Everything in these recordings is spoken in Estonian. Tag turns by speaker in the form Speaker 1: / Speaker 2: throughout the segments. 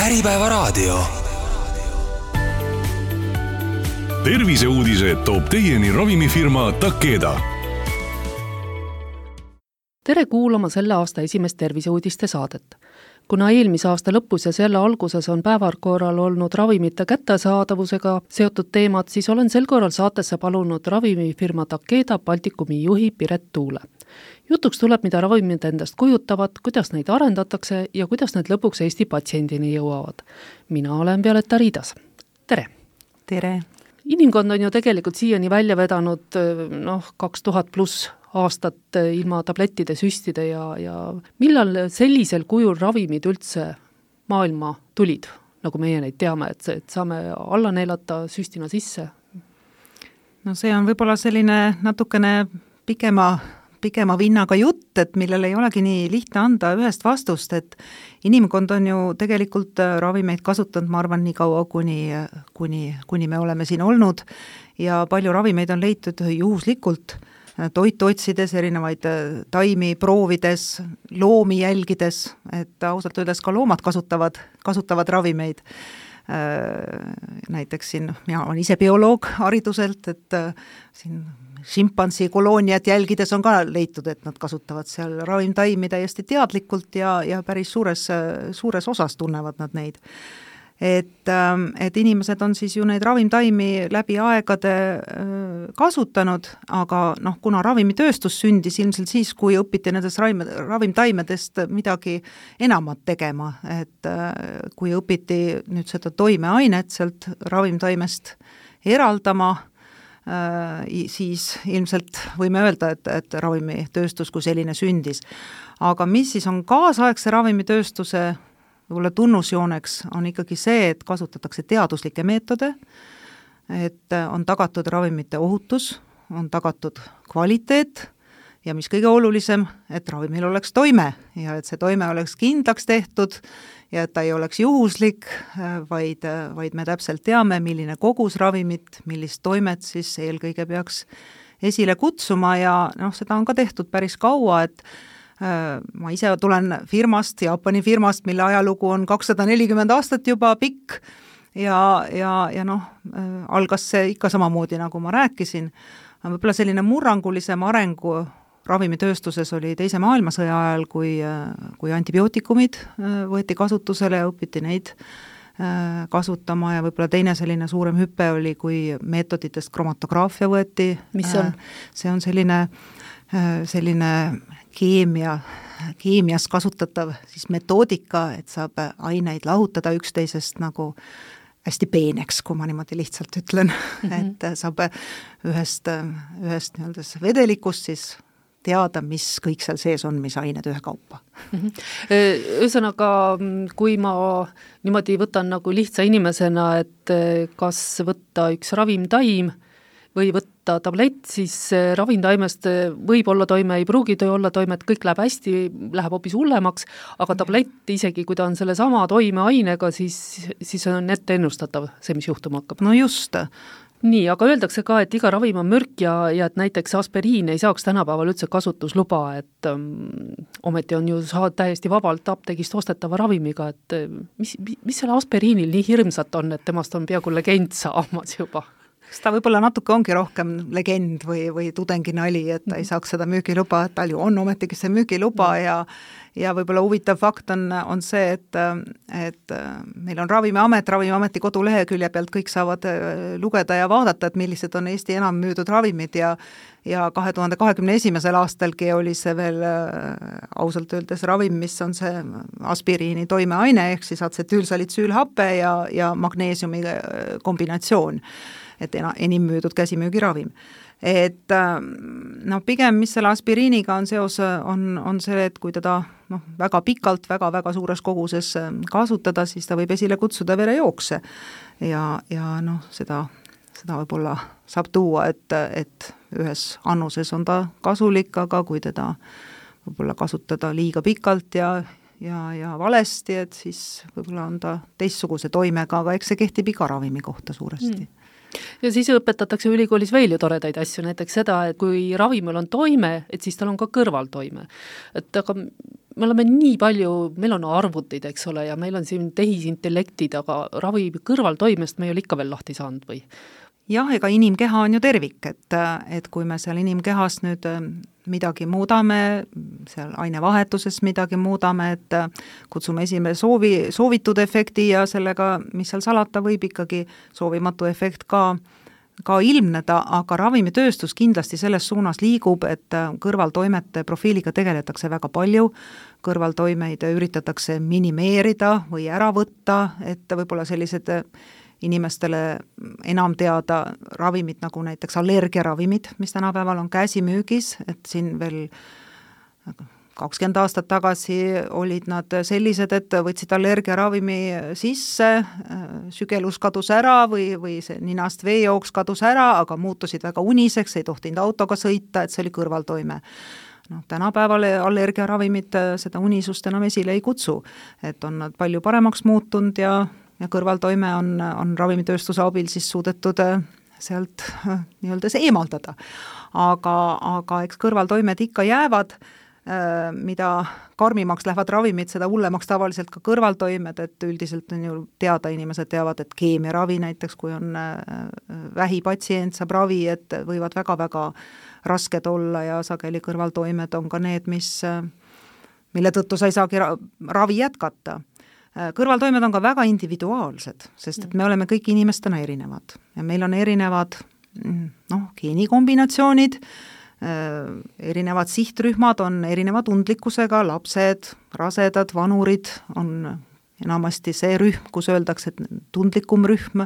Speaker 1: Äripäevaraadio.
Speaker 2: Terviseuudised toob teieni ravimifirma Takeda.
Speaker 3: Tere kuulama selle aasta esimest terviseuudiste saadet. Kuna eelmise aasta lõpus ja selle alguses on päevakorral olnud ravimite kättesaadavusega seotud teemad, siis olen sel korral saatesse palunud ravimifirma Takeda Baltikumi juhi Piret Tuule. Jutuks tuleb, mida ravimid endast kujutavad, kuidas neid arendatakse ja kuidas need lõpuks Eesti patsiendini jõuavad. Mina olen Violeta Riidas. Tere!
Speaker 4: Tere!
Speaker 3: Inimkond on ju tegelikult siiani välja vedanud 2000+ aastat ilma tablettide, süstide ja millal sellisel kujul ravimid üldse maailma tulid, nagu meie neid teame, et saame alla neelata süstina sisse?
Speaker 4: No see on võib-olla selline natukene pikema vinnaga jutt, et millel ei olegi nii lihtne anda ühest vastust, et inimkond on ju tegelikult ravimeid kasutanud, ma arvan, nii kaua, kuni me oleme siin olnud ja palju ravimeid on leitud juhuslikult, toitu otsides, erinevaid taimi proovides, loomi jälgides, et ausalt öeldes ka loomad kasutavad ravimeid. Näiteks siin, mina olen ise bioloog hariduselt, et siin šimpansi kolooniat jälgides on ka leitud, et nad kasutavad seal ravimtaimi täiesti teadlikult ja päris suures osas tunnevad nad neid. Et inimesed on siis ju neid ravimtaimi läbi aegade kasutanud, aga kuna ravimitööstus sündis ilmselt siis, kui õpiti nendest ravimtaimedest midagi enamat tegema, et kui õpiti nüüd seda toimeainet sealt ravimtaimest eraldama, siis ilmselt võime öelda, et ravimitööstus kui selline sündis. Aga mis siis on kaasaegse ravimitööstuse võib-olla tunnusjooneks on ikkagi see, et kasutatakse teaduslikke meetode, et on tagatud ravimite ohutus, on tagatud kvaliteet ja mis kõige olulisem, et ravimil oleks toime ja et see toime oleks kindlaks tehtud ja et ta ei oleks juhuslik, vaid me täpselt teame, milline kogus ravimit, millist toimet siis eelkõige peaks esile kutsuma ja seda on ka tehtud päris kaua, et ma ise tulen Jaapani firmast, mille ajalugu on 240 aastat juba pikk ja algas see ikka samamoodi, nagu ma rääkisin. Võib-olla selline murrangulisem arengu ravimitööstuses oli teise maailmasõja ajal, kui antibiootikumid võeti kasutusele ja õpiti neid kasutama ja võib-olla teine selline suurem hüpe oli, kui meetoditest kromatograafia võeti.
Speaker 3: Mis on?
Speaker 4: See on selline keemias kasutatav siis metoodika, et saab aineid lahutada üksteisest nagu hästi peeneks, kui ma niimoodi lihtsalt ütlen, et saab ühest vedelikust siis teada, mis kõik seal sees on, mis ained ühekaupa.
Speaker 3: Ühesõnaga, kui ma niimoodi võtan nagu lihtsa inimesena, et kas võtta üks ravimtaim või võtta tablett, siis ravimtaimest võib olla toime, ei pruugi olla toime, et kõik läheb hästi, läheb hoopis hullemaks, aga tablett isegi, kui ta on selle sama toimeainega, siis on ette ennustatav see, mis juhtuma hakkab.
Speaker 4: No just.
Speaker 3: Nii, aga öeldakse ka, et iga ravim on mürk ja et näiteks aspiriin ei saaks tänapäeval üldse kasutusluba, et ometi on ju täiesti vabalt apteegist ostetava ravimiga, et mis selle aspiriinil nii hirmsat on, et temast on peaaegu legend saamas juba?
Speaker 4: Ta võib-olla natuke ongi rohkem legend või tudenginali, et ta ei saaks seda müügiluba, et tal ju on ometigi see müügiluba ja võib-olla huvitav fakt on see, et meil on Ravimiameti kodulehekülje pealt kõik saavad lugeda ja vaadata, et millised on Eesti enam müüdud ravimid ja 2021. aastalgi oli see veel ausalt öeldes ravim, mis on see aspiriini toimeaine, ehk siis atsetiilsalitsüülhape ja magneesiumi kombinatsioon, et enim müüdud käsimüügiravim. Et pigem, mis selle aspiriiniga on seos, on see, et kui teda väga pikalt, väga suures koguses kasutada, siis ta võib esile kutsuda verejookse ja seda võib-olla saab tuua, et ühes annuses on ta kasulik, aga kui teda võib-olla kasutada liiga pikalt ja valesti, et siis võib-olla on ta teistsuguse toimega, aga eks see kehtib iga ravimi kohta suuresti.
Speaker 3: Ja siis õpetatakse ülikoolis veel ju toredaid asju, näiteks seda, et kui ravimil on toime, et siis tal on ka kõrvaltoime. Et aga me oleme nii palju, meil on arvutid, eks ole, ja meil on siin tehisintellektid, aga ravi kõrvaltoimest me ei ole ikka veel lahti saanud või?
Speaker 4: Jah, ega inimkeha on ju tervik, et kui me seal inimkehas nüüd midagi muudame, seal ainevahetuses midagi muudame, et kutsume esime soovitud efekti ja sellega, mis seal salata, võib ikkagi soovimatu efekt ka ilmneda, aga ravimitööstus kindlasti selles suunas liigub, et kõrvaltoimete profiiliga tegeletakse väga palju, kõrvaltoimeid üritatakse minimeerida või ära võtta, et võib-olla sellised inimestele enam teada ravimid, nagu näiteks allergiaravimid, mis tänapäeval on käsimüügis, et siin veel 20 aastat tagasi olid nad sellised, et võtsid allergiaravimi sisse, sügelus kadus ära või see ninast veejooks kadus ära, aga muutusid väga uniseks, ei tohtinud autoga sõita, et see oli kõrvaltoime. Tänapäeval allergiaravimid seda unisust enam esile ei kutsu, et on nad palju paremaks muutunud ja kõrvaltoime on ravimitööstuse abil siis suudetud sealt nii-öelda see eemaldada. Aga eks kõrvaltoimed ikka jäävad, mida karmimaks lähevad ravimid, seda hullemaks tavaliselt ka kõrvaltoimed, et üldiselt on ju teada, inimesed teavad, et keemiaravi näiteks, kui on vähipatsient, saab ravi, et võivad väga-väga rasked olla ja sageli kõrvaltoimed on ka need, mille tõttu sa ei saagi ravi jätkata. Kõrvaltoimed on ka väga individuaalsed, sest et me oleme kõik inimestena erinevad ja meil on erinevad geenikombinatsioonid, erinevad sihtrühmad on erineva tundlikkusega, lapsed, rasedad, vanurid on enamasti see rühm, kus öeldakse, et tundlikum rühm,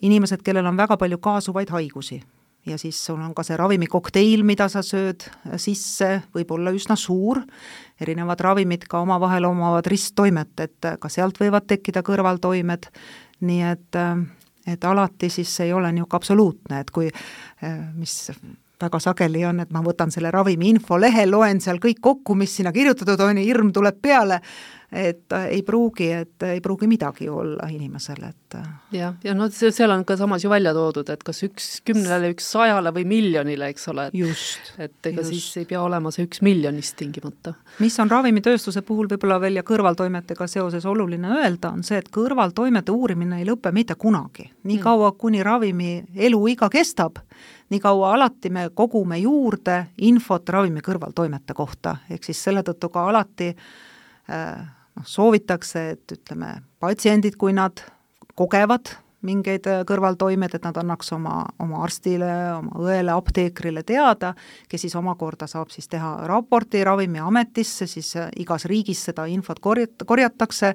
Speaker 4: inimesed, kellel on väga palju kaasuvaid haigusi. Ja siis sul on ka see ravimikokteil, mida sa sööd sisse, võib olla üsna suur, erinevad ravimid ka omavahel omavad risttoimet, et ka sealt võivad tekkida kõrvaltoimed, nii et alati siis ei ole niisugune absoluutne, et kui, mis väga sageli on, et ma võtan selle ravimi infolehe, loen seal kõik kokku, mis sinna kirjutatud on ja hirm tuleb peale, et ei pruugi midagi olla inimesele, et
Speaker 3: ja seal on ka samas ju välja toodud, et kas 1 10-le, 1 100-le või miljonile, eks ole, et ega siis ei pea olema see 1 miljonist tingimata.
Speaker 4: Mis on ravimitööstuse puhul võib-olla veel ja kõrvaltoimetega seoses oluline öelda, on see, et kõrvaltoimete uurimine ei lõpe mitte kunagi. Nii kaua, kuni ravimi eluiga kestab, nii kaua alati me kogume juurde infot ravimi kõrvaltoimete kohta, ehk siis selle tõttu ka alati soovitakse, et ütleme, patsiendid, kui nad kogevad mingeid kõrvaltoimed, et nad annaks oma arstile, oma õele, apteekrile teada, kes siis omakorda saab siis teha raporti Ravimiametisse, siis igas riigis seda infot korjatakse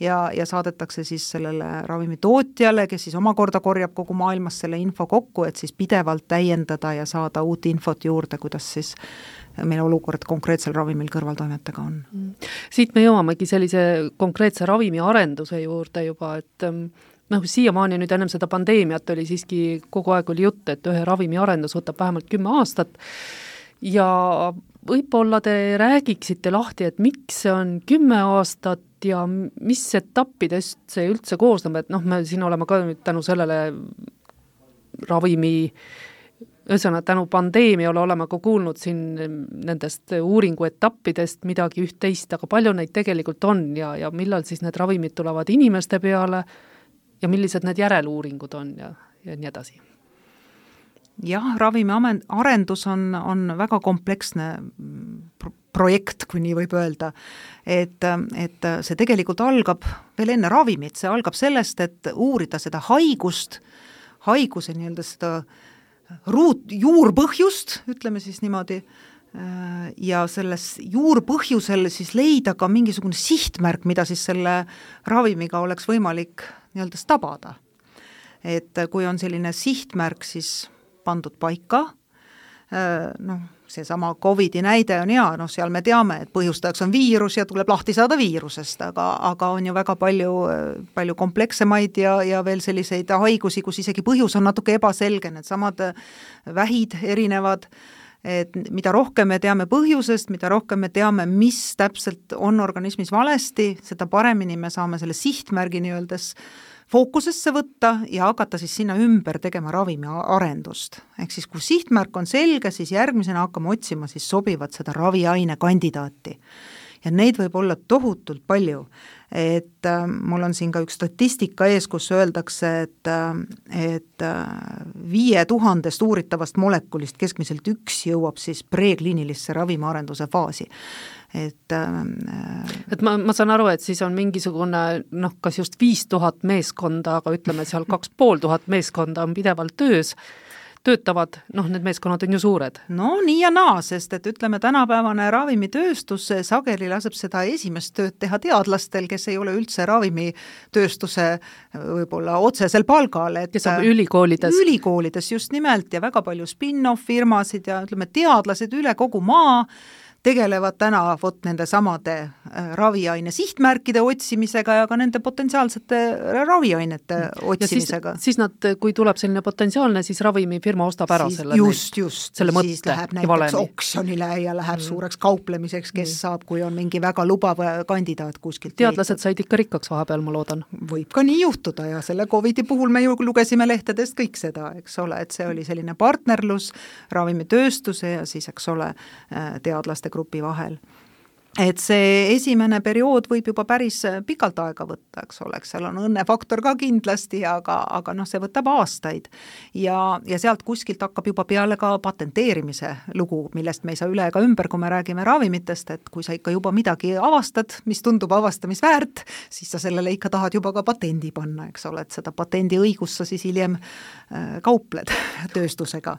Speaker 4: ja saadetakse siis sellele ravimitootjale, kes siis omakorda korjab kogu maailmas selle info kokku, et siis pidevalt täiendada ja saada uut infot juurde, kuidas siis meil olukord konkreetsel ravimil kõrvaltoimetega on.
Speaker 3: Siit me jõuamegi sellise konkreetse ravimi arenduse juurde juba, et siiamaani nüüd ennem seda pandeemiat oli siiski kogu aeg oli jutt, et ühe ravimi arendus võtab vähemalt 10 aastat ja võib-olla te räägiksite lahti, et miks see on 10 aastat ja mis etappidest see üldse koosneb, et me siin oleme ka nüüd tänu sellele ravimi ühesõnaga, tänu pandeemiale oleme ka kuulnud siin nendest uuringu etappidest midagi üht-teist, aga palju neid tegelikult on ja millal siis need ravimid tulevad inimeste peale ja millised need järeluuringud on ja nii edasi?
Speaker 4: Jah, ravimi arendus on väga kompleksne projekt, kui nii võib öelda, et see tegelikult algab veel enne ravimit, see algab sellest, et uurida seda haiguse nii-öelda seda juurpõhjust, ütleme siis niimoodi, ja selles juurpõhjusel siis leida ka mingisugune sihtmärk, mida siis selle ravimiga oleks võimalik nii-öelda tabada. Et kui on selline sihtmärk siis pandud paika, seesama COVID-i näide on hea, seal me teame, et põhjustajaks on viirus ja tuleb lahti saada viirusest, aga on ju väga palju komplekssemaid ja veel selliseid haigusi, kus isegi põhjus on natuke ebaselge, need samad vähid erinevad, et mida rohkem me teame põhjusest, mida rohkem me teame, mis täpselt on organismis valesti, seda paremini me saame selle sihtmärgi nii-öeldes fookusesse võtta ja hakata siis sinna ümber tegema ravimi arendust. Ehk siis kui sihtmärk on selge, siis järgmisena hakkame otsima siis sobivat seda raviaine kandidaati. Ja neid võib olla tohutult palju, et mul on siin ka üks statistika ees, kus öeldakse, et 5000 uuritavast molekulist keskmiselt üks jõuab siis prekliinilisse ravimiarenduse faasi. Et
Speaker 3: ma saan aru, et siis on mingisugune kas just 5000 meeskonda, aga ütleme seal 2500 meeskonda on pidevalt töötavad, need meeskonnad on ju suured.
Speaker 4: No nii ja naa, sest et ütleme, tänapäevane ravimitööstus sageli laseb seda esimest tööd teha teadlastel, kes ei ole üldse ravimitööstuse võib-olla otsesel palgal.
Speaker 3: Kes on ülikoolides.
Speaker 4: Ülikoolides just nimelt ja väga palju spin-off firmasid ja ütleme, teadlased üle kogu maa tegelevad täna nende samade raviaine sihtmärkide otsimisega ja ka nende potentsiaalsete raviainete otsimisega.
Speaker 3: Siis nad, kui tuleb selline potentsiaalne, siis ravimifirma ostab ära
Speaker 4: selle mõtte. Siis läheb näiteks oksjonile ja läheb suureks kauplemiseks, kes saab, kui on mingi väga lubav kandidaat kuskilt.
Speaker 3: Teadlased said ikka rikkaks vahepeal, ma loodan.
Speaker 4: Võib ka nii juhtuda ja selle COVID-i puhul me ju lugesime lehtedest kõik seda, eks ole, et see oli selline partnerlus ravimitööstuse ja siis, eks ole, teadlaste grupi vahel. Et see esimene periood võib juba päris pikalt aega võtta, eks ole, seal on õnnefaktor ka kindlasti, aga see võtab aastaid. Ja sealt kuskilt hakkab juba peale ka patenteerimise lugu, millest me ei saa üle ega ümber, kui me räägime ravimitest, et kui sa ikka juba midagi avastad, mis tundub avastamisväärt, siis sa sellele ikka tahad juba ka patendi panna, eks ole, et seda patendi õigust sa siis hiljem kaupled tööstusega.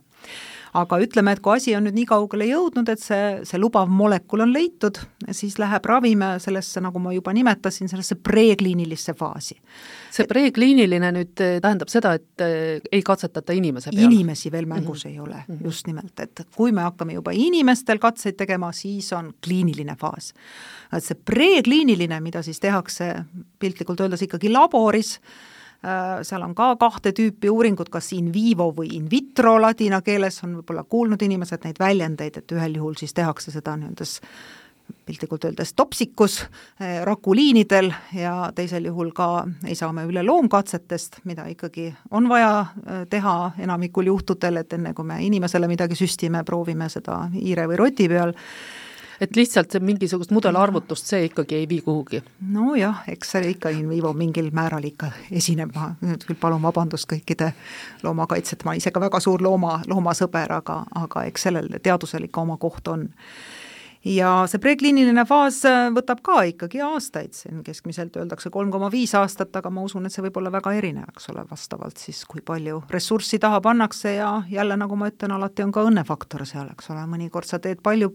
Speaker 4: Aga ütleme, et kui asi on nüüd nii kaugele jõudnud, et see lubav molekul on leitud, siis läheb ravime sellesse, nagu ma juba nimetasin, sellesse prekliinilisse faasi.
Speaker 3: See prekliiniline nüüd tähendab seda, et ei katsetata inimese peal?
Speaker 4: Inimesi veel mängus ei ole, just nimelt, et kui me hakkame juba inimestel katseid tegema, siis on kliiniline faas. Et see prekliiniline, mida siis tehakse piltlikult öeldes ikkagi laboris, seal on ka 2 tüüpi uuringud, kas in vivo või in vitro ladina keeles, on võib-olla kuulnud inimesed neid väljendeid, et ühel juhul siis tehakse seda nii-öeldes piltlikult öeldes topsikus rakuliinidel ja teisel juhul ka ei saa me üle loomkatsetest, mida ikkagi on vaja teha enamikul juhtudel, et enne kui me inimesele midagi süstime, proovime seda hiire või roti peal.
Speaker 3: Et lihtsalt mingisugust mudelarvutust see ikkagi ei vii kuhugi?
Speaker 4: No jah, eks see ikka in vivo mingil määral ikka esineb, ma nüüd küll palun vabandust kõikide loomakaitset, ma ise ka väga suur loomasõber, aga eks sellel teadusel ikka oma koht on. Ja see prekliiniline faas võtab ka ikkagi aastaid, see keskmiselt öeldakse 3,5 aastat, aga ma usun, et see võib olla väga erinev, eks ole, vastavalt siis, kui palju ressurssi taha pannakse ja jälle, nagu ma ütlen, alati on ka õnnefaktor seal, eks ole, mõnikord sa teed palju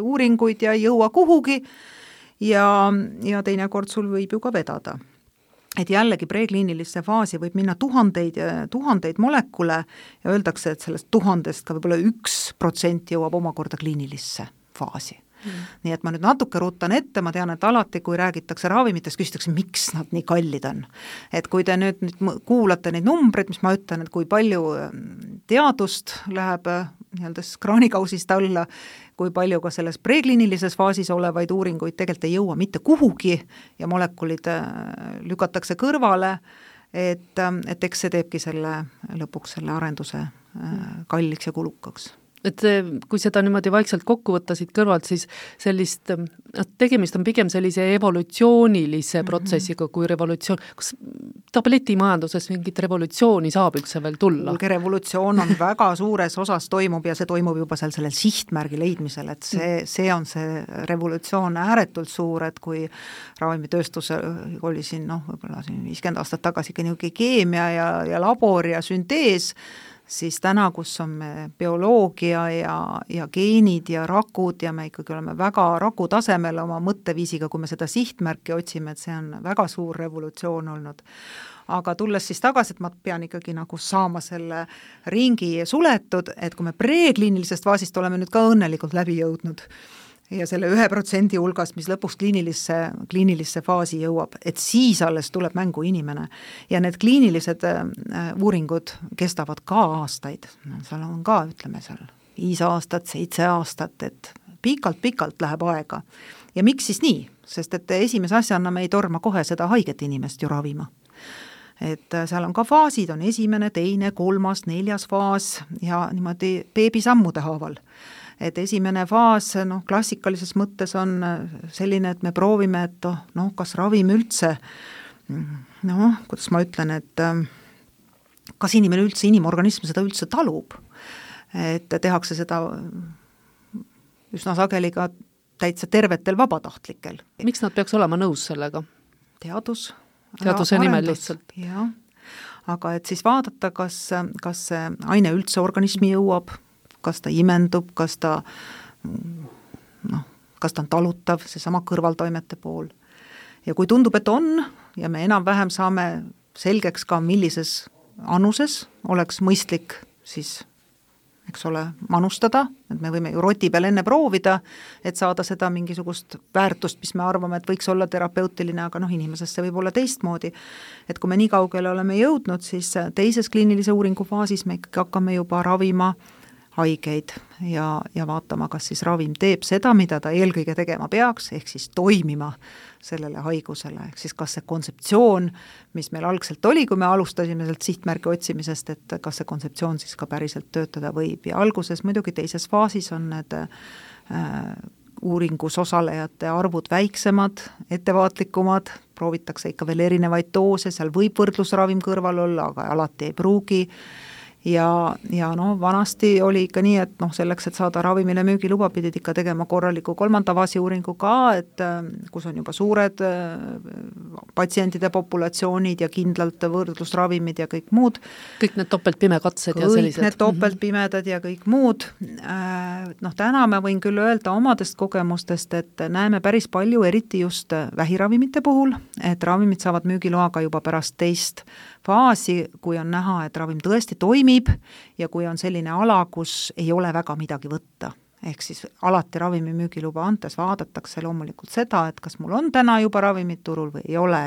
Speaker 4: uuringuid ja ei jõua kuhugi ja teinekord sul võib ju ka vedada. Et jällegi prekliinilisse faasi võib minna tuhandeid molekule ja öeldakse, et sellest 1000 ka võib-olla 1% jõuab omakorda kliinilisse faasi. Nii et ma nüüd natuke rutan ette, ma tean, et alati, kui räägitakse ravimitest, küsitakse, miks nad nii kallid on. Et kui te nüüd kuulate neid numbreid, mis ma ütlen, et kui palju teadust läheb nii-öelda kraanikausist alla, kui palju ka selles prekliinilises faasis olevaid uuringuid tegelikult ei jõua mitte kuhugi ja molekulid lükatakse kõrvale, et eks see teebki lõpuks selle arenduse kalliks ja kulukaks.
Speaker 3: Et kui seda niimoodi vaikselt kokku võtta siit kõrvalt, siis sellist, tegemist on pigem sellise evolutsioonilise protsessiga kui revolutsioon. Kas tabletimajanduses mingit revolutsiooni saab üldse veel tulla?
Speaker 4: Revolutsioon on väga suures osas toimub ja see toimub juba sellel sihtmärgi leidmisel, et see on see revolutsioon ääretult suur, et kui ravimitööstus oli siin, võib-olla 50 aastat tagasi ikka keemia ja labor ja süntees, siis täna, kus on me bioloogia ja geenid ja rakud ja me ikkagi oleme väga raku tasemel oma mõtteviisiga, kui me seda sihtmärki otsime, et see on väga suur revolutsioon olnud. Aga tulles siis tagasi, et ma pean ikkagi nagu saama selle ringi suletud, et kui me prekliinilisest faasist oleme nüüd ka õnnelikult läbi jõudnud ja selle 1% hulgas, mis lõpuks kliinilisse faasi jõuab, et siis alles tuleb mängu inimene. Ja need kliinilised uuringud kestavad ka aastaid. Seal on ka, ütleme seal 5 aastat, 7 aastat, et pikalt läheb aega. Ja miks siis nii? Sest et esimese asjana me ei torma kohe seda haiget inimest ju ravima. Et seal on ka faasid, on esimene, teine, 3., 4. faas ja niimoodi beebisammude haaval. Et esimene faas, klassikalises mõttes on selline, et me proovime, et kas ravim üldse, kuidas ma ütlen, et kas inimene üldse, inimorganism seda üldse talub. Et tehakse seda üsna sageli ka täitsa tervetel vabatahtlikel.
Speaker 3: Miks nad peaks olema nõus sellega?
Speaker 4: Teaduse
Speaker 3: nimel lihtsalt.
Speaker 4: Jah, aga et siis vaadata, kas see aine üldse organismi jõuab, kas ta imendub, kas ta on talutav, see sama kõrvaltoimete pool. Ja kui tundub, et on, ja me enam-vähem saame selgeks ka, millises anuses oleks mõistlik siis eks ole, manustada, et me võime ju roti peal enne proovida, et saada seda mingisugust väärtust, mis me arvame, et võiks olla terapeutiline, aga inimesest see võib olla teistmoodi. Et kui me nii kaugele oleme jõudnud, siis teises kliinilise uuringu faasis me ikkagi hakkame juba ravima haigeid ja vaatama, kas siis ravim teeb seda, mida ta eelkõige tegema peaks, ehk siis toimima sellele haigusele, ehk siis kas see kontseptsioon, mis meil algselt oli, kui me alustasime sealt sihtmärgi otsimisest, et kas see kontseptsioon siis ka päriselt töötada võib ja alguses muidugi teises faasis on need uuringus osalejate arvud väiksemad, ettevaatlikumad, proovitakse ikka veel erinevaid doose, seal võib võrdlusravim kõrval olla, aga alati ei pruugi. Ja vanasti oli ikka nii, et selleks, et saada ravimile müügiluba, pidid ikka tegema korraliku 3. faasi uuringu ka, et kus on juba suured patsientide populatsioonid ja kindlalt võrdlusravimid ja kõik muud.
Speaker 3: Kõik need topeltpimekatsed ja sellised.
Speaker 4: Kõik need topeltpimedad ja kõik muud. Täna ma võin küll öelda omadest kogemustest, et näeme päris palju, eriti just vähiravimite puhul, et ravimid saavad müügiloaga juba pärast teist faasi, kui on näha, et ravim tõesti toimib ja kui on selline ala, kus ei ole väga midagi võtta. Ehk siis alati ravimi müügiluba antes vaadatakse loomulikult seda, et kas mul on täna juba ravimid turul või ei ole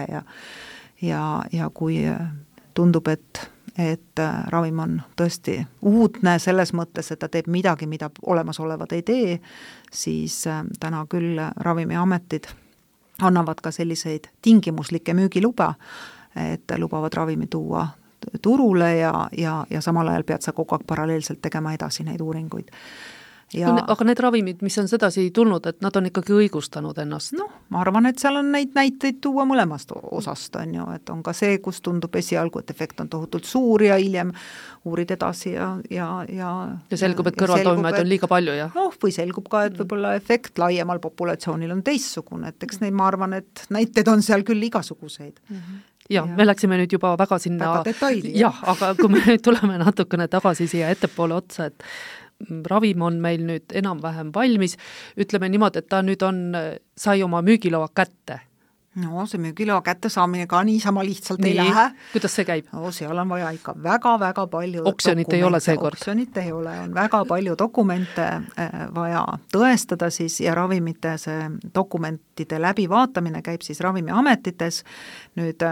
Speaker 4: ja kui tundub, et ravim on tõesti uudne selles mõttes, et ta teeb midagi, mida olemasolevad ei tee, siis täna küll ravimiametid annavad ka selliseid tingimuslikke müügiluba, et lubavad ravimi tuua turule ja samal ajal pead sa kogu aeg paralleelselt tegema edasi neid uuringuid.
Speaker 3: Aga need ravimid, mis on sedasi tulnud, et nad on ikkagi õigustanud ennast?
Speaker 4: Ma arvan, et seal on neid näiteid tuua mõlemast osast, on ju, et on ka see, kus tundub esialgu, et efekt on tohutult suur ja hiljem uurid edasi ja
Speaker 3: selgub, et kõrvaltoimed on liiga palju, jah?
Speaker 4: Või selgub ka, et võib-olla efekt laiemal populatsioonil on teistsugune, et eks neid ma arvan, et näiteid on seal küll igasuguseid.
Speaker 3: Ja me läksime nüüd juba väga sinna
Speaker 4: väga detaili.
Speaker 3: Jah, aga kui me nüüd tuleme natukene tagasi siia ettepoole otsa, et ravim on meil nüüd enam-vähem valmis, ütleme niimoodi, et ta nüüd sai oma müügiloa kätte.
Speaker 4: See müügiloa kätte saamine ka niisama lihtsalt ei lähe.
Speaker 3: Kuidas see käib?
Speaker 4: Seal on vaja ikka väga-väga palju
Speaker 3: Oksjonit ei ole seekord.
Speaker 4: Oksjonit ei ole, on väga palju dokumente vaja tõestada siis ja ravimite see dokumentide läbivaatamine käib siis ravimiametites. Nüüd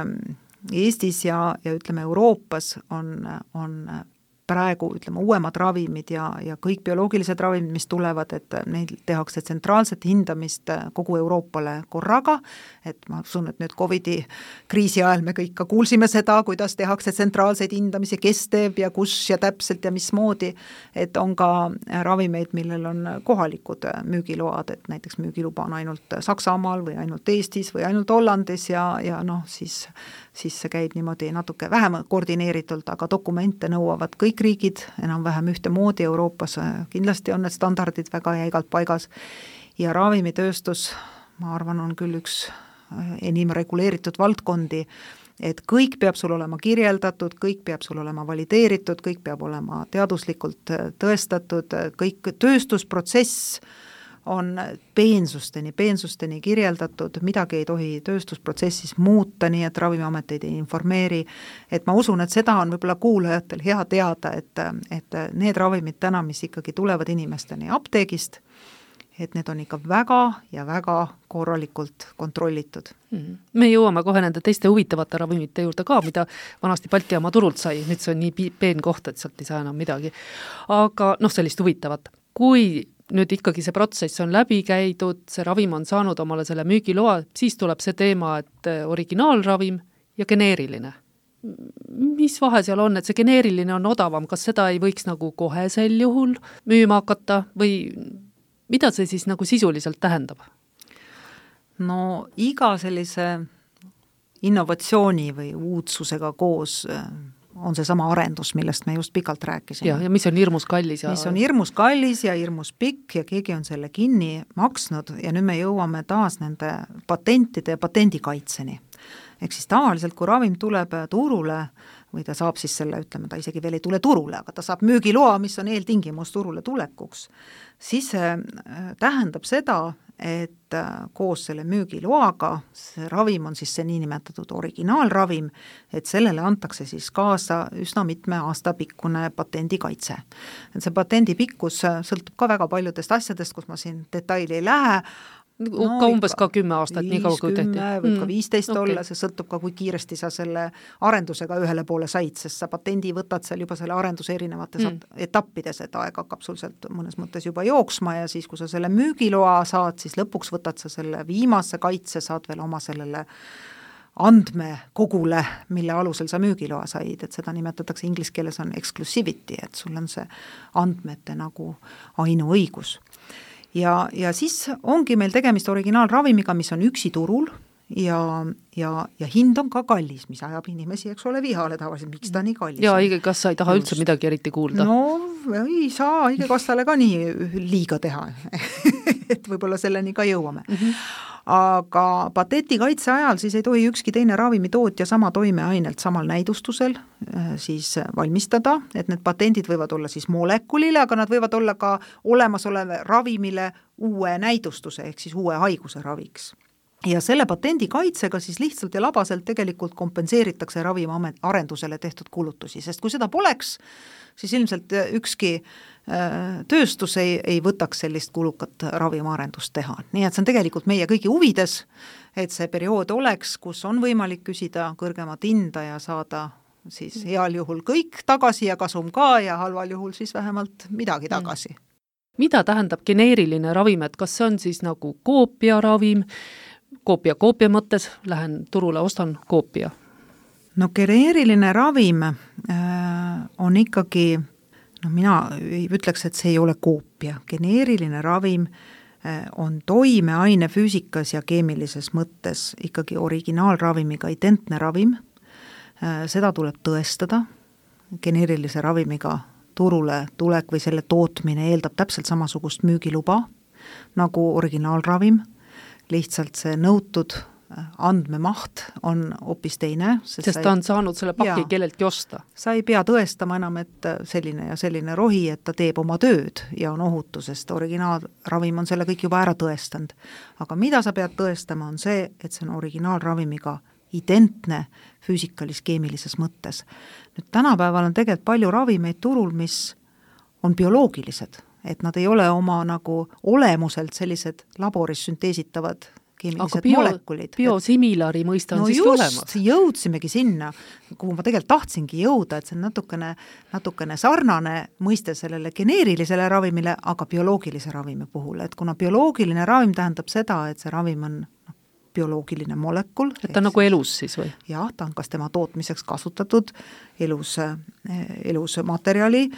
Speaker 4: Eestis ja ütleme Euroopas on praegu uuemad ravimid ja kõik bioloogilised ravimid, mis tulevad, et neid tehakse tsentraalset hindamist kogu Euroopale korraga, et ma usun, et nüüd COVID-i kriisi ajal me kõik ka kuulsime seda, kuidas tehakse tsentraalseid hindamisi, kes teeb ja kus ja täpselt ja mismoodi, et on ka ravimeid, millel on kohalikud müügiload, et näiteks müügiluba on ainult Saksamaal või ainult Eestis või ainult Hollandis ja siis see käib niimoodi natuke vähem koordineeritult, aga dokumente nõuavad kõik riigid enam-vähem ühtemoodi Euroopas, kindlasti on need standardid väga jäigalt paigas ja ravimitööstus, ma arvan, on küll üks enim reguleeritud valdkondi, et kõik peab sul olema kirjeldatud, kõik peab sul olema valideeritud, kõik peab olema teaduslikult tõestatud, kõik tööstusprotsess on peensusteni kirjeldatud, midagi ei tohi tööstusprotsessis muuta, nii et ravimiameteid ei informeeri, et ma usun, et seda on võib-olla kuulajatel hea teada, et need ravimid täna, mis ikkagi tulevad inimesteni apteegist et need on ikka väga ja väga korralikult kontrollitud.
Speaker 3: Me jõuame kohe nende teiste huvitavate ravimite juurde ka, mida vanasti Balti jaama turult sai, nüüd see on nii peen koht, et sealt ei saa enam midagi. Aga sellist huvitavat. Kui nüüd ikkagi see protsess on läbi käidud, see ravim on saanud omale selle müügiloa, siis tuleb see teema, et originaalravim ja geneeriline. Mis vahe seal on, et see geneeriline on odavam, kas seda ei võiks nagu kohe sel juhul müüma hakata või mida see siis nagu sisuliselt tähendab?
Speaker 4: No iga sellise innovatsiooni või uudsusega koos on see sama arendus, millest me just pikalt rääkisime.
Speaker 3: Ja mis on hirmus kallis.
Speaker 4: Mis on hirmus kallis ja hirmus pikk ja keegi on selle kinni maksnud ja nüüd me jõuame taas nende patentide ja patendikaitseni. Ehk siis tavaliselt, kui ravim tuleb turule või ta saab siis selle, ütleme, ta isegi veel ei tule turule, aga ta saab müügiloa, mis on eeltingimus turule tulekuks, siis see tähendab seda, et koos selle müügiloaga see ravim on siis see niinimetatud originaalravim, et sellele antakse siis kaasa üsna mitme aasta pikkune patendikaitse. Et see patendi pikkus sõltub ka väga paljudest asjadest, kus ma siin detaili ei lähe,
Speaker 3: ka umbes ka 10 aastat, nii kaua kui tehti.
Speaker 4: Võib ka 15 olla, see sõltub ka, kui kiiresti sa selle arendusega ühele poole said, sest sa patendi võtad seal juba selle arenduse erinevates etappides, et aeg hakkab sul sealt mõnes mõttes juba jooksma ja siis, kui sa selle müügiloa saad, siis lõpuks võtad sa selle viimase kaitse, saad veel oma sellele andmekogule, mille alusel sa müügiloa said, et seda nimetatakse inglise keeles on exclusivity, et sul on see andmete nagu ainuõigus. Ja siis ongi meil tegemist originaalravimiga, mis on üksi turul ja hind on ka kallis, mis ajab inimesi, eks ole, vihale tavaliselt, miks ta nii kallis.
Speaker 3: Ja haigekassa ei taha üldse midagi eriti kuulda.
Speaker 4: No ei saa haigekassale ka nii liiga teha, et võib-olla selleni ka jõuame. Aga patendikaitse ajal siis ei tohi ükski teine ravimitootja sama toimeainelt samal näidustusel siis valmistada, et need patendid võivad olla siis molekulile, aga nad võivad olla ka olemasoleve ravimile uue näidustuse ehk siis uue haiguse raviks. Ja selle patendikaitsega siis lihtsalt ja labaselt tegelikult kompenseeritakse ravimi arendusele tehtud kulutusi, sest kui seda poleks, siis ilmselt ükski tööstus ei võtaks sellist kulukat ravimiarendust teha. Nii et see on tegelikult meie kõigi huvides, et see periood oleks, kus on võimalik küsida kõrgemat hinda ja saada siis heal juhul kõik tagasi ja kasum ka ja halval juhul siis vähemalt midagi tagasi.
Speaker 3: Mida tähendab geneeriline ravim, et kas see on siis nagu koopiaravim, koopia mõttes, lähen turule, ostan koopia?
Speaker 4: No geneeriline ravim on ikkagi, mina ütleks, et see ei ole koopia. Geneeriline ravim on toimeaine füüsikas ja keemilises mõttes ikkagi originaalravimiga identne ravim. Seda tuleb tõestada. Geneerilise ravimiga turule tulek või selle tootmine eeldab täpselt samasugust müügiluba nagu originaalravim. Lihtsalt see nõutud andmemaht on hoopis teine.
Speaker 3: Sest ta on saanud selle paki kelleltki osta.
Speaker 4: Sa ei pea tõestama enam, et selline ja selline rohi, et ta teeb oma tööd ja on ohutu, sest originaalravim on selle kõik juba ära tõestanud. Aga mida sa pead tõestama on see, et see on originaalravimiga identne füüsikalis-keemilises mõttes. Nüüd tänapäeval on tegelikult palju ravimeid turul, mis on bioloogilised, et nad ei ole oma nagu olemuselt sellised laboris sünteesitavad keemilised molekulid.
Speaker 3: Biosimilari mõista on siiski olemas.
Speaker 4: No just, jõudsimegi sinna, kuhu ma tegelikult tahtsingi jõuda, et see on natukene sarnane mõiste sellele geneerilisele ravimile, aga bioloogilise ravimi puhul, et kuna bioloogiline ravim tähendab seda, et see ravim on bioloogiline molekul.
Speaker 3: Et ta on nagu elus siis või?
Speaker 4: Jah, ta on kas tema tootmiseks kasutatud elus materjali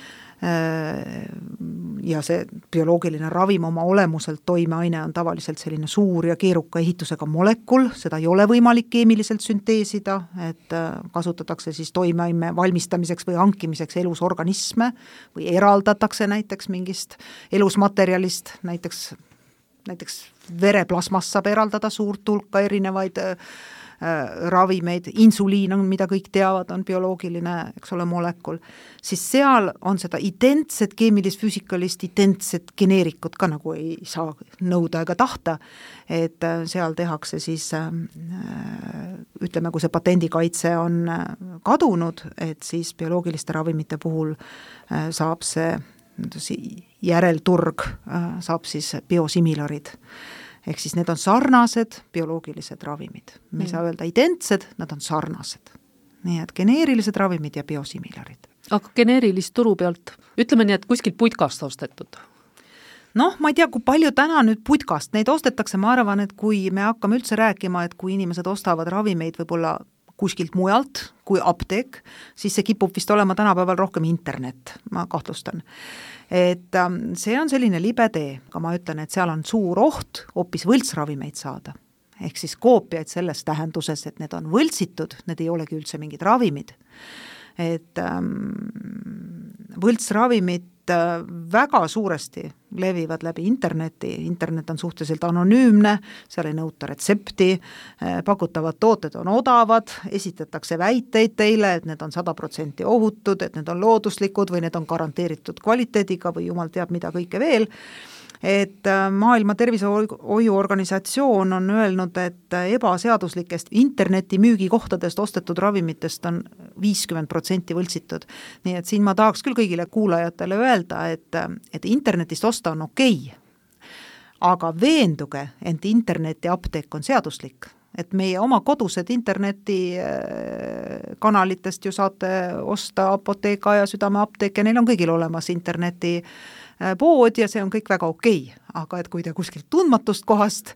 Speaker 4: ja see bioloogiline ravim oma olemuselt toimeaine on tavaliselt selline suur ja keeruka ehitusega molekul, seda ei ole võimalik keemiliselt sünteesida, et kasutatakse siis toimeaine valmistamiseks või hankimiseks elus organisme või eraldatakse näiteks mingist elusmaterjalist, näiteks vereplasmast saab eraldada suurt hulka erinevaid ravimeid, insuliin on, mida kõik teavad, on bioloogiline, eks ole, molekul, siis seal on seda identset keemilis-füüsikalist, identset geneerikut ka nagu ei saa nõuda ega tahta, et seal tehakse siis, ütleme, kui see patendikaitse on kadunud, et siis bioloogiliste ravimite puhul saab see järelturg saab siis biosimilarid. Ehk siis need on sarnased bioloogilised ravimid. Me ei saa öelda identsed, nad on sarnased. Nii et geneerilised ravimid ja biosimilarid.
Speaker 3: Aga geneerilist turu pealt, ütleme nii, et kuskilt putkast ostetud?
Speaker 4: Noh, ma ei tea, kui palju täna nüüd putkast, neid ostetakse, ma arvan, et kui me hakkame üldse rääkima, et kui inimesed ostavad ravimeid võib-olla kuskilt mujalt kui apteek, siis see kipub vist olema tänapäeval rohkem internet, ma kahtlustan. Et see on selline libe tee, aga ma ütlen, et seal on suur oht hoopis võltsravimeid saada. Ehk siis koopiaid selles tähenduses, et need on võltsitud, need ei olegi üldse mingid ravimid. Et võltsravimid väga suuresti levivad läbi interneti, internet on suhteliselt anonüümne, seal ei nõuta retsepti, pakutavad tooted on odavad, esitatakse väiteid teile, et need on 100% ohutud, et need on looduslikud või need on garanteeritud kvaliteediga või jumal teab mida kõike veel. Et Maailma Tervisehoiuorganisatsioon on öelnud, et ebaseaduslikest interneti müügikohtadest ostetud ravimitest on 50% võltsitud. Nii et siin ma tahaks küll kõigile kuulajatele öelda, et internetist osta on okei. Aga veenduge, et interneti apteek on seaduslik. Et meie oma kodused interneti kanalitest ju saate osta Apoteeka ja Südameapteek ja neil on kõigil olemas interneti pood ja see on kõik väga okei. Aga et kui te kuskilt tundmatust kohast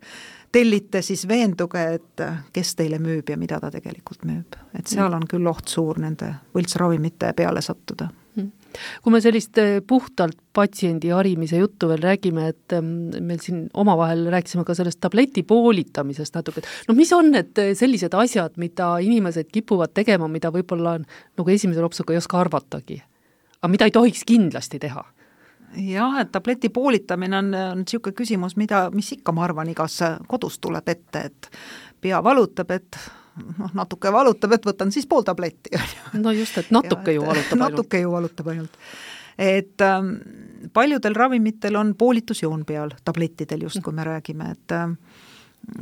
Speaker 4: tellite, siis veenduge, et kes teile müüb ja mida ta tegelikult müüb. Et seal on küll oht suur nende võltsravimite peale sattuda.
Speaker 3: Kui me sellist puhtalt patsiendi harimise juttu veel räägime, et meil siin omavahel rääkisime ka sellest tableti poolitamisest natuke, no mis on need sellised asjad, mida inimesed kipuvad tegema, mida võib-olla nagu esimese lopsuga ei oska arvatagi, aga mida ei tohiks kindlasti teha?
Speaker 4: Jah, et tableti poolitamine on niisugune küsimus, mis ikka ma arvan igas kodus tuleb ette, et pea valutab, et natuke valutab, et võtan siis pool tabletti.
Speaker 3: No just, et natuke ju valutab ainult.
Speaker 4: Natuke ju valutab ainult. Et paljudel ravimitel on poolitusjoon peal, tablettidel just, kui me räägime, et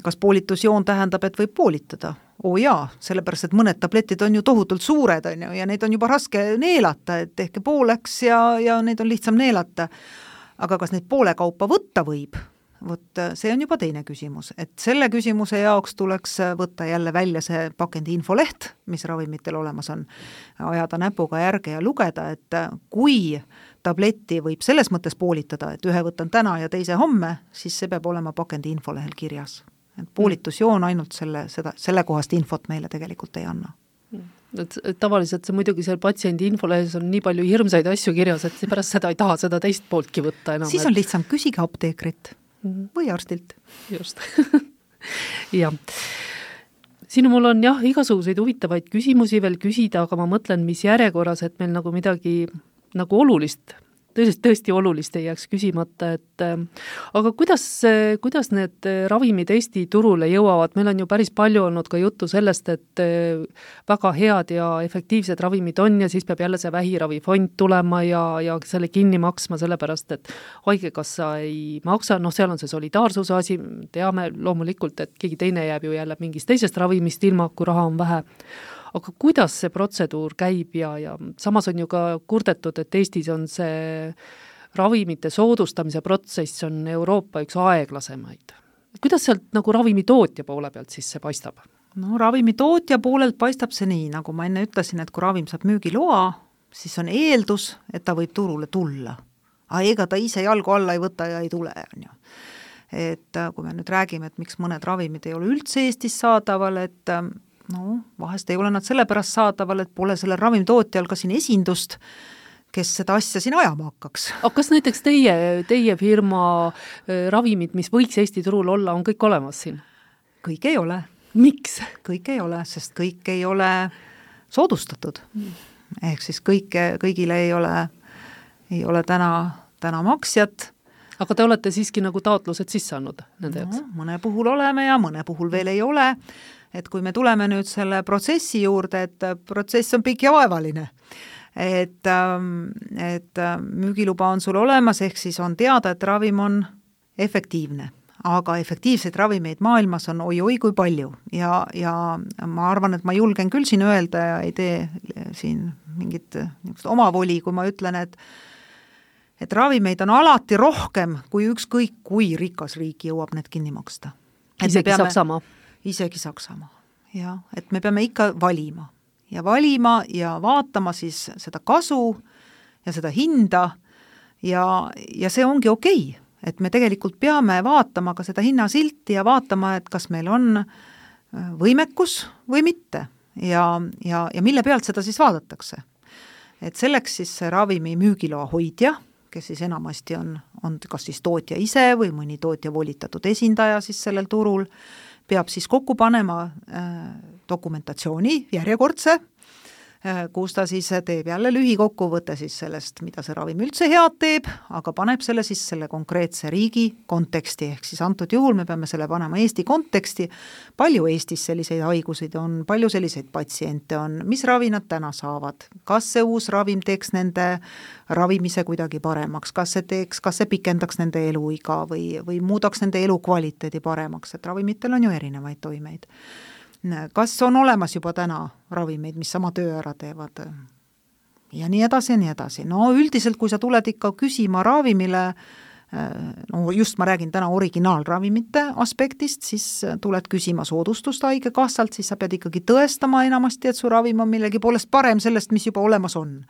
Speaker 4: kas poolitusjoon tähendab, et võib poolitada? Jaa, sellepärast, et mõned tabletid on ju tohutult suured on ju, ja neid on juba raske neelata, et ehk pooleks ja neid on lihtsam neelata. Aga kas neid poole kaupa võtta võib? Võt, see on juba teine küsimus, et selle küsimuse jaoks tuleks võtta jälle välja see pakendi infoleht, mis ravimitel olemas on, ajada näpuga järge ja lugeda, et kui tableti võib selles mõttes poolitada, et ühe võtan täna ja teise homme, siis see peab olema pakendi infolehel kirjas. Et poolitusjoon ainult selle kohast infot meile tegelikult ei anna.
Speaker 3: Et tavaliselt see muidugi seal patsiendi infolehes on nii palju hirmsaid asju kirjas, et pärast seda ei taha seda teist pooltki võtta enam.
Speaker 4: Siis on lihtsam küsige apteekrit või arstilt.
Speaker 3: Just. Ja. Siin mul on jah, igasuguseid huvitavaid küsimusi veel küsida, aga ma mõtlen, mis järjekorras, et meil nagu midagi nagu olulist, tõesti olulist ei jääks küsimata, et aga kuidas need ravimid Eesti turule jõuavad? Meil on ju päris palju olnud ka juttu sellest, et väga head ja efektiivsed ravimid on ja siis peab jälle see vähiravifond tulema ja selle kinni maksma, sellepärast, et haigekassa ei maksa, seal on see solidaarsuse asi, teame loomulikult, et keegi teine jääb ju jälle mingist teisest ravimist ilma, kui raha on vähe. Aga kuidas see protseduur käib ja samas on ju ka kurdetud, et Eestis on see ravimite soodustamise protsess on Euroopa üks aeglasemaid. Kuidas sealt nagu ravimitootja poole pealt siis see paistab?
Speaker 4: No ravimitootja poolelt paistab see nii, nagu ma enne ütlesin, et kui ravim saab müügiloa, siis on eeldus, et ta võib turule tulla. Aga ega ta ise jalgu alla ei võta ja ei tule. On ju. Et kui me nüüd räägime, et miks mõned ravimid ei ole üldse Eestis saadaval, et vahest ei ole nad sellepärast saadaval, et pole selle ravimitootjal ka siin esindust, kes seda asja siin ajama hakkaks.
Speaker 3: Aga kas näiteks teie firma ravimid, mis võiks Eesti turul olla, on kõik olemas siin?
Speaker 4: Kõik ei ole.
Speaker 3: Miks?
Speaker 4: Kõik ei ole, sest kõik ei ole soodustatud. Ehk siis kõigile ei ole täna maksjat.
Speaker 3: Aga te olete siiski nagu taotlused sisse andnud nende jaoks?
Speaker 4: Mõne puhul oleme ja mõne puhul veel ei ole. Et kui me tuleme nüüd selle protsessi juurde, et protsess on pikk ja vaevaline, et müügiluba on sul olemas, ehk siis on teada, et ravim on efektiivne, aga efektiivseid ravimeid maailmas on oi kui palju ja ma arvan, et ma julgen küll siin öelda ja ei tee siin mingit omavoli, kui ma ütlen, et ravimeid on alati rohkem, kui ükskõik kui rikas riik jõuab need kinni maksta.
Speaker 3: Isegi Saksamaa.
Speaker 4: Isegi Saksamaa, jah. Et me peame ikka valima ja vaatama siis seda kasu ja seda hinda ja see ongi okei. Et me tegelikult peame vaatama ka seda hinnasilti ja vaatama, et kas meil on võimekus või mitte ja mille pealt seda siis vaadatakse. Et selleks siis see ravimi müügiloa hoidja, kes siis enamasti on kas siis tootja ise või mõni tootja volitatud esindaja siis sellel turul, peab siis kokku panema dokumentatsiooni järjekordse, kus ta siis teeb jälle lühikokkuvõtte siis sellest, mida see ravim üldse head teeb, aga paneb selle siis selle konkreetse riigi konteksti, ehk siis antud juhul me peame selle panema Eesti konteksti, palju Eestis selliseid haiguseid on, palju selliseid patsiente on, mis ravi nad täna saavad, kas see uus ravim teeks nende ravimise kuidagi paremaks, kas see pikendaks nende eluiga või muudaks nende elukvaliteedi paremaks, et ravimitel on ju erinevaid toimeid. Kas on olemas juba täna ravimeid, mis sama töö ära teevad ja nii edasi ja nii edasi. No üldiselt, kui sa tuled ikka küsima ravimile, no just ma räägin täna originaalravimite aspektist, siis tuled küsima soodustust haigekassalt, siis sa pead ikkagi tõestama enamasti, et su ravim on millegi poolest parem sellest, mis juba olemas on.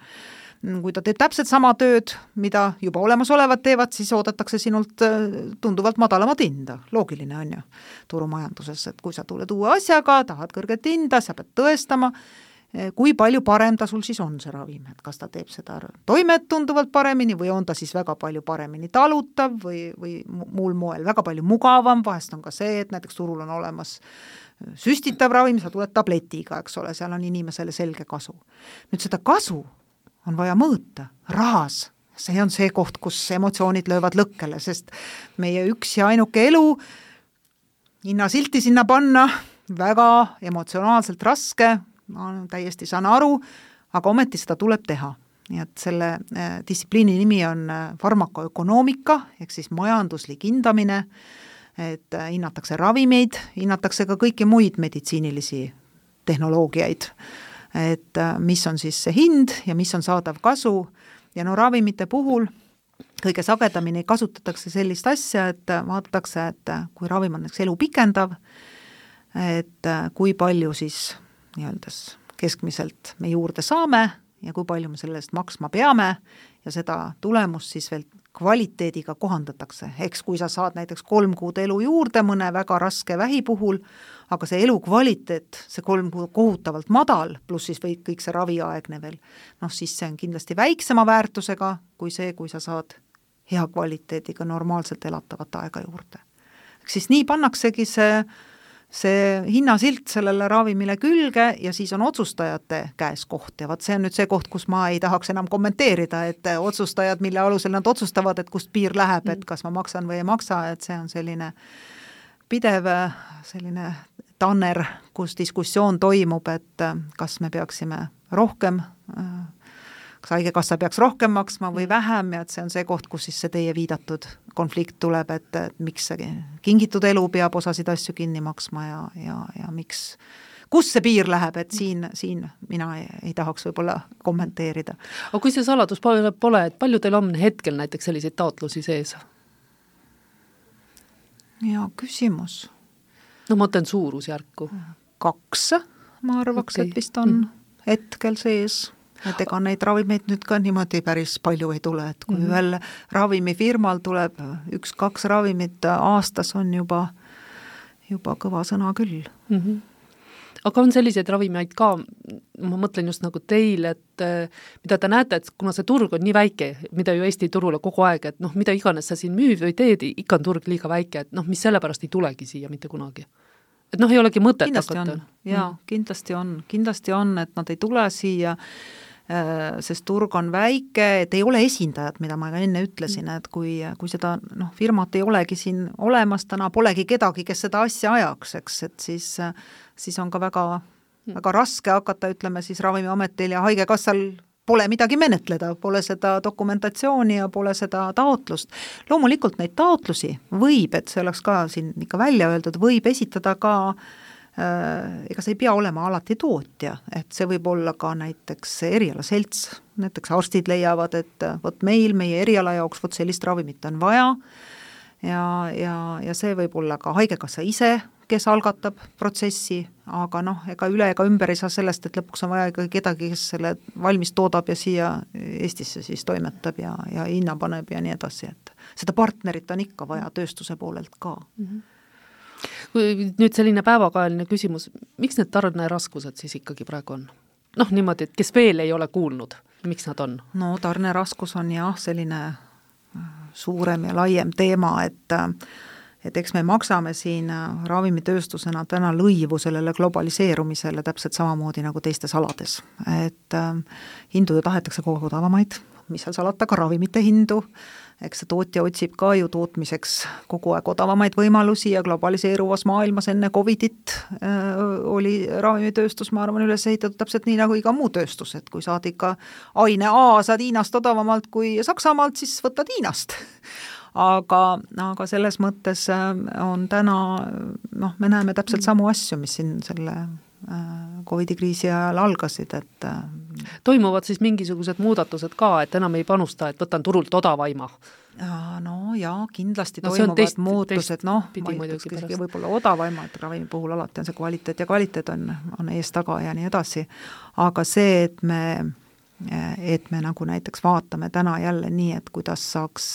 Speaker 4: Kui ta teeb täpselt sama tööd, mida juba olemasolevad teevad, siis oodatakse sinult tunduvalt madalamat hinda. Loogiline on ju turumajanduses, et kui sa tuled uue asjaga, tahad kõrget hinda, sa pead tõestama, kui palju parem ta sul siis on see ravim, et kas ta teeb seda toimet tunduvalt paremini või on ta siis väga palju paremini talutav või muul moel väga palju mugavam, vahest on ka see, et näiteks turul on olemas süstitav ravim, sa tuled tabletiga, eks ole, seal on inimesele selge kasu. Nüüd seda kasu on vaja mõõta, rahas. See on see koht, kus emotsioonid löövad lõkkele, sest meie üks ja ainuke elu hinnasilti sinna panna väga emotsionaalselt raske, ma täiesti saan aru, aga ometi seda tuleb teha. Nii et selle distsipliini nimi on farmakoökonoomika, ehk siis majanduslik hindamine, et hinnatakse ravimeid, hinnatakse ka kõiki muid meditsiinilisi tehnoloogiaid, et mis on siis see hind ja mis on saadav kasu ja no ravimite puhul kõige sagedamini kasutatakse sellist asja, et vaadatakse, et kui ravim on elu pikendav, et kui palju siis nii-öeldes keskmiselt me juurde saame ja kui palju me selle eest maksma peame ja seda tulemust siis veel kvaliteediga kohandatakse. Eks kui sa saad näiteks 3 kuud elu juurde mõne väga raske vähi puhul, aga see elukvaliteet, see 3 kuud kohutavalt madal, pluss siis või kõik see raviaegne veel, noh siis see on kindlasti väiksema väärtusega kui see, kui sa saad hea kvaliteediga normaalselt elatavat aega juurde. Siis nii pannaksegi see hinnasilt sellele ravimile külge ja siis on otsustajate käes koht ja vaat see on nüüd see koht, kus ma ei tahaks enam kommenteerida, et otsustajad, mille alusel nad otsustavad, et kust piir läheb, et kas ma maksan või ei maksa, et see on selline pidev selline tanner, kus diskussioon toimub, et kas me peaksime rohkem, kas haigekassa peaks rohkem maksma või vähem ja et see on see koht, kus siis see teie viidatud konflikt tuleb, et miks see kingitud elu peab osasid asju kinni maksma ja miks, kus see piir läheb, et siin mina ei tahaks võib-olla kommenteerida.
Speaker 3: Aga kui see saladus pole, et palju teil on hetkel näiteks selliseid taotlusi sees?
Speaker 4: Ja küsimus.
Speaker 3: No ma mõtlen suurusjärku.
Speaker 4: 2, ma arvaks, et vist on hetkel sees. Et ega neid ravimeid nüüd ka niimoodi päris palju ei tule, et kui ühel ravimifirmal tuleb 1-2 ravimit aastas on juba kõva sõna küll.
Speaker 3: Aga on selliseid ravimeid ka, ma mõtlen just nagu teil, et mida te näete, et kuna see turg on nii väike, mida ju Eesti turule kogu aeg, et noh, mida iganes sa siin müüd või teed, ikka on turg liiga väike, et noh, mis sellepärast ei tulegi siia mitte kunagi. Et noh, ei olegi mõtet
Speaker 4: hakata. Jaa, kindlasti on, et nad ei tule siia, sest turg on väike, et ei ole esindajad, mida ma ka enne ütlesin, et kui seda firmat ei olegi siin olemas, täna polegi kedagi, kes seda asja ajaks, eks, et siis on ka väga raske hakata, ütleme siis Ravimiametil ja haigekassal pole midagi menetleda, pole seda dokumentatsiooni ja pole seda taotlust. Loomulikult neid taotlusi võib, et see oleks ka siin ikka välja öeldud, võib esitada ka ega see ei pea olema alati tootja, et see võib olla ka näiteks erialaselts näiteks arstid leiavad, et vot meil, meie eriala jaoks vot sellist ravimit on vaja ja see võib olla ka haigekassa ise, kes algatab protsessi, aga ega üle ega ümber ei saa sellest, et lõpuks on vaja ikkagi kedagi, kes selle valmis toodab ja siia Eestisse siis toimetab ja hinna paneb ja nii edasi, et seda partnerit on ikka vaja tööstuse poolelt ka.
Speaker 3: Kui nüüd selline päevakajaline küsimus, miks need tarneraskused siis ikkagi praegu on? Niimoodi, et kes veel ei ole kuulnud, miks nad on?
Speaker 4: No tarneraskus on jah selline suurem ja laiem teema, et eks me maksame siin ravimitööstusena täna lõivu sellele globaliseerumisele täpselt samamoodi nagu teistes alades. Et hindu ju tahetakse kogu aeg odavamaid, mis seal salata, ka ravimite hindu, eks see tootja otsib ka ju tootmiseks kogu aeg odavamaid võimalusi ja globaliseeruvas maailmas enne Covidit oli ravimitööstus, ma arvan, üles ehitatud täpselt nii nagu iga muu tööstus, et kui saad ikka aine A, saad Hiinast odavamalt kui Saksamaalt, siis võtad Hiinast. Aga selles mõttes on täna, me näeme täpselt samu asju, mis siin selle Covidi kriisi ajal algasid, et
Speaker 3: toimuvad siis mingisugused muudatused ka, et enam ei panusta, et võtan turult odavaima?
Speaker 4: No jaa, kindlasti toimuvad muutused, ma ütleks võib-olla odavaima, et ravimi puhul alati on see kvaliteet ja kvaliteet on ees taga ja nii edasi, aga see, et me nagu näiteks vaatame täna jälle nii, et kuidas saaks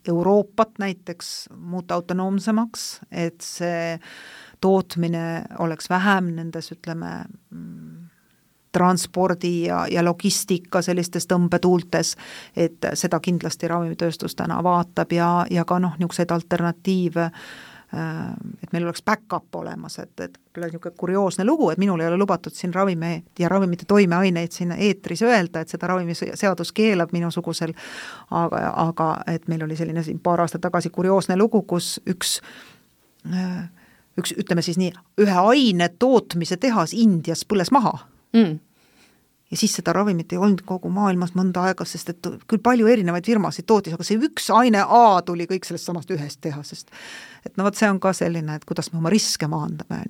Speaker 4: Euroopat näiteks muuta autonoomsemaks, et see tootmine oleks vähem nendes, ütleme, transpordi ja logistika sellistes tõmbetuultes, et seda kindlasti ravimitööstus täna vaatab ja ka niisuguseid alternatiive, et meil oleks back-up olemas, et niisugune kurioosne lugu, et minul ei ole lubatud siin ravimid ja ravimite toimeaineid siin eetris öelda, et seda ravimiseadus keelab minusugusel, aga et meil oli selline siin paar aastat tagasi kurioosne lugu, kus üks, ütleme siis nii, ühe aine tootmise tehas Indias põles maha. Ja siis seda ravimit ei olnud kogu maailmas mõnda aega, sest et küll palju erinevaid firmasid tootis, aga see üks aine A tuli kõik sellest samast ühest tehasest. Et vot see on ka selline, et kuidas me oma riske maandame.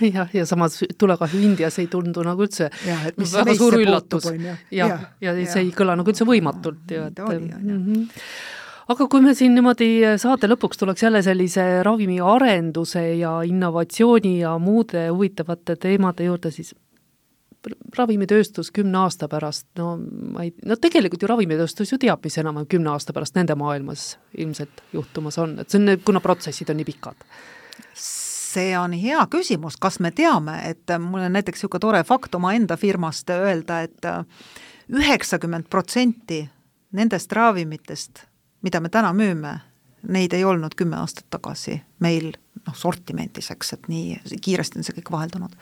Speaker 3: Ja samas tulekahju Indias ei tundu nagu üldse väga suur üllatus. Ja see ei kõla nagu üldse võimatult. Aga kui me siin niimoodi saate lõpuks tuleks jälle sellise ravimi arenduse ja innovatsiooni ja muude huvitavate teemade juurde, siis ravimitööstus 10 aasta pärast, tegelikult ju ravimitööstus ju teab, mis enam 10 aasta pärast nende maailmas ilmselt juhtumas on, et see on, kuna protsessid on nii pikad.
Speaker 4: See on hea küsimus, kas me teame, et mul on näiteks niisugune tore fakt oma enda firmast öelda, et 90% nendest ravimitest, mida me täna müüme, neid ei olnud 10 aastat tagasi meil sortimentiseks, et nii kiiresti on see kõik vaheldunud.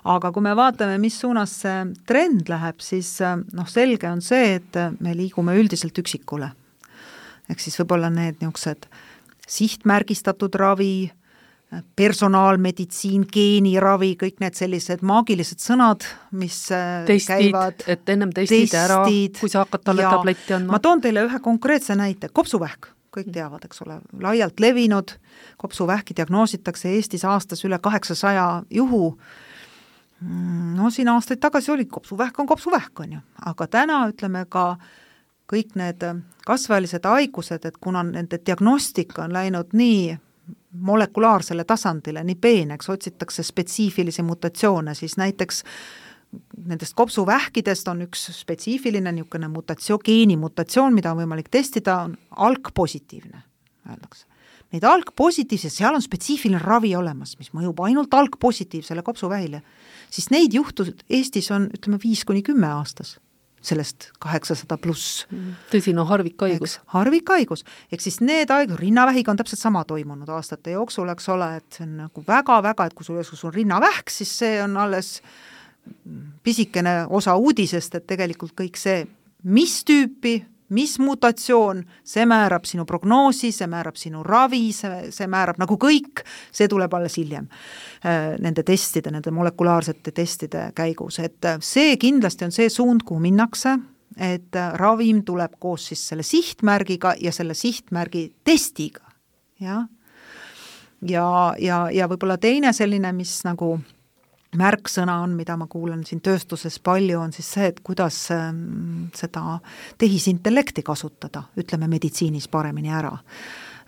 Speaker 4: Aga kui me vaatame, mis suunas see trend läheb, siis selge on see, et me liigume üldiselt üksikule. Ehk siis võib-olla need niisugused sihtmärgistatud ravi, personaalmeditsiin, geeniravi, kõik need sellised maagilised sõnad, mis
Speaker 3: testid, käivad. Et ennem testid ära, kui sa hakkad talle tabletti andma.
Speaker 4: Ma toon teile ühe konkreetse näite, kopsuvähk. Kõik teavad, eks ole, laialt levinud, kopsuvähki diagnoositakse Eestis aastas üle 800 juhu. Siin aastaid tagasi oli kopsuvähk on kopsuvähk, on ju. Aga täna ütleme ka kõik need kasvaelised haigused, et kuna nende diagnostika on läinud nii molekulaarsele tasandile, nii peeneks, otsitakse spetsiifilisi mutatsioone, siis näiteks nendest kopsuvähkidest on üks spetsiifiline niisugune geenimutatsioon, mida on võimalik testida, on algpositiivne, öeldakse. Neid algpositiivsed, seal on spetsiifiline ravi olemas, mis mõjub ainult algpositiivsele kopsuvähile, siis neid juhtud Eestis on, ütleme, 5-10 aastas, sellest 800 pluss.
Speaker 3: Tõsine harvikhaigus.
Speaker 4: Harvikhaigus, ehk siis need rinnavähiga on täpselt sama toimunud aastate jooksul, eks ole, et see on nagu väga-väga, et kui sul on rinnavähk, siis see on alles pisikene osa uudisest, et tegelikult kõik see, mis tüüpi, mis mutatsioon, see määrab sinu prognoosi, see määrab sinu ravi, see määrab nagu kõik, see tuleb alles hiljem nende testide, nende molekulaarsete testide käigus, et see kindlasti on see suund, kuhu minnakse, et ravim tuleb koos siis selle sihtmärgiga ja selle sihtmärgi testiga, ja võib-olla teine selline, mis nagu märksõna on, mida ma kuulen siin tööstuses palju, on siis see, et kuidas seda tehisintellekti kasutada, ütleme meditsiinis paremini ära.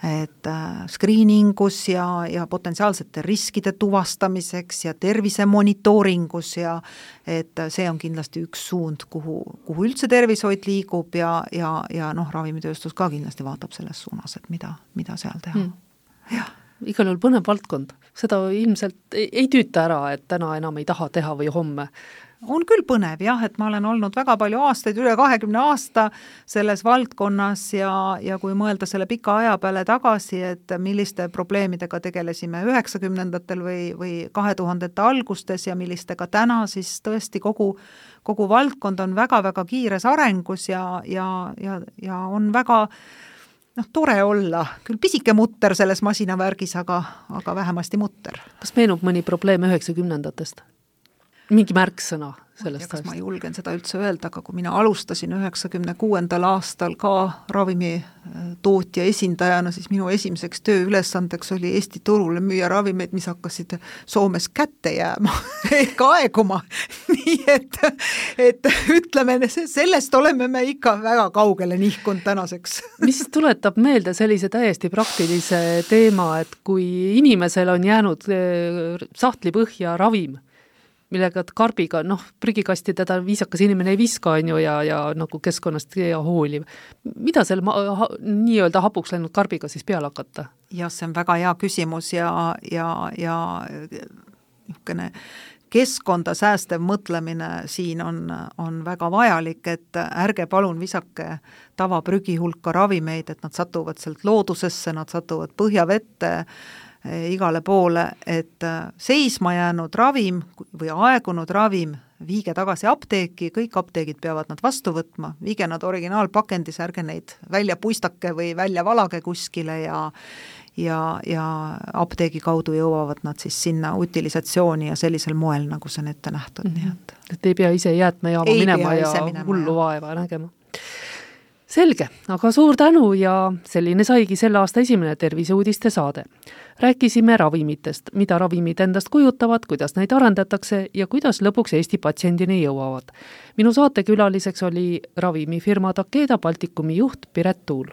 Speaker 4: Et screeningus ja potentsiaalsete riskide tuvastamiseks ja tervise monitooringus ja et see on kindlasti üks suund, kuhu üldse tervishoid liigub ja ravimitööstus ka kindlasti vaatab selles suunas, et mida seal teha. Jah.
Speaker 3: Igal juhul põnev valdkond. Seda ilmselt ei tüüta ära, et täna enam ei taha teha või homme.
Speaker 4: On küll põnev, jah, et ma olen olnud väga palju aastaid, üle 20 aasta selles valdkonnas ja kui mõelda selle pika aja peale tagasi, et milliste probleemidega tegelesime 90-ndatel või 2000-ndate algustes ja millistega täna, siis tõesti kogu valdkond on väga-väga kiires arengus ja on väga tore olla, küll pisike mutter selles masinavärgis, aga vähemasti mutter.
Speaker 3: Kas meenub mõni probleem 90-ndatest? Mingi märksõna sellest
Speaker 4: ajast? Ma julgen seda üldse öelda, aga kui mina alustasin 96. aastal ka ravimitootja esindajana, siis minu esimeseks tööülesandeks oli Eesti turule müüa ravimeid, mis hakkasid Soomes kätte jääma ehk aeguma. Nii et ütleme, sellest oleme me ikka väga kaugele nihkunud tänaseks.
Speaker 3: Mis tuletab meelde sellise täiesti praktilise teema, et kui inimesel on jäänud sahtli põhja ravim, millega karbiga, prügikasti teda viisakas inimene ei viska, ja nagu keskkonnast ja hooliv. Mida seal nii-öelda hapuks läinud karbiga siis peale hakata?
Speaker 4: Jah, see on väga hea küsimus ja niisugune keskkonda säästev mõtlemine siin on väga vajalik, et ärge palun visake tavaprügi hulka ravimeid, et nad satuvad sealt loodusesse, nad satuvad põhjavette, igale poole, et seisma jäänud ravim või aegunud ravim viige tagasi apteeki, kõik apteegid peavad nad vastu võtma, viige nad originaalpakendis, ärge neid välja puistake või välja valage kuskile ja apteegi kaudu jõuavad nad siis sinna utilisatsiooni ja sellisel moel, nagu see on ette nähtud.
Speaker 3: Et ei pea ise jäätmejaama minema ja hullu vaeva nägema. Selge, aga suur tänu ja selline saigi selle aasta esimene terviseuudiste saade. Rääkisime ravimitest, mida ravimid endast kujutavad, kuidas neid arendatakse ja kuidas lõpuks Eesti patsiendini jõuavad. Minu saatekülaliseks oli ravimifirma Takeda Baltikumi juht Piret Tuul.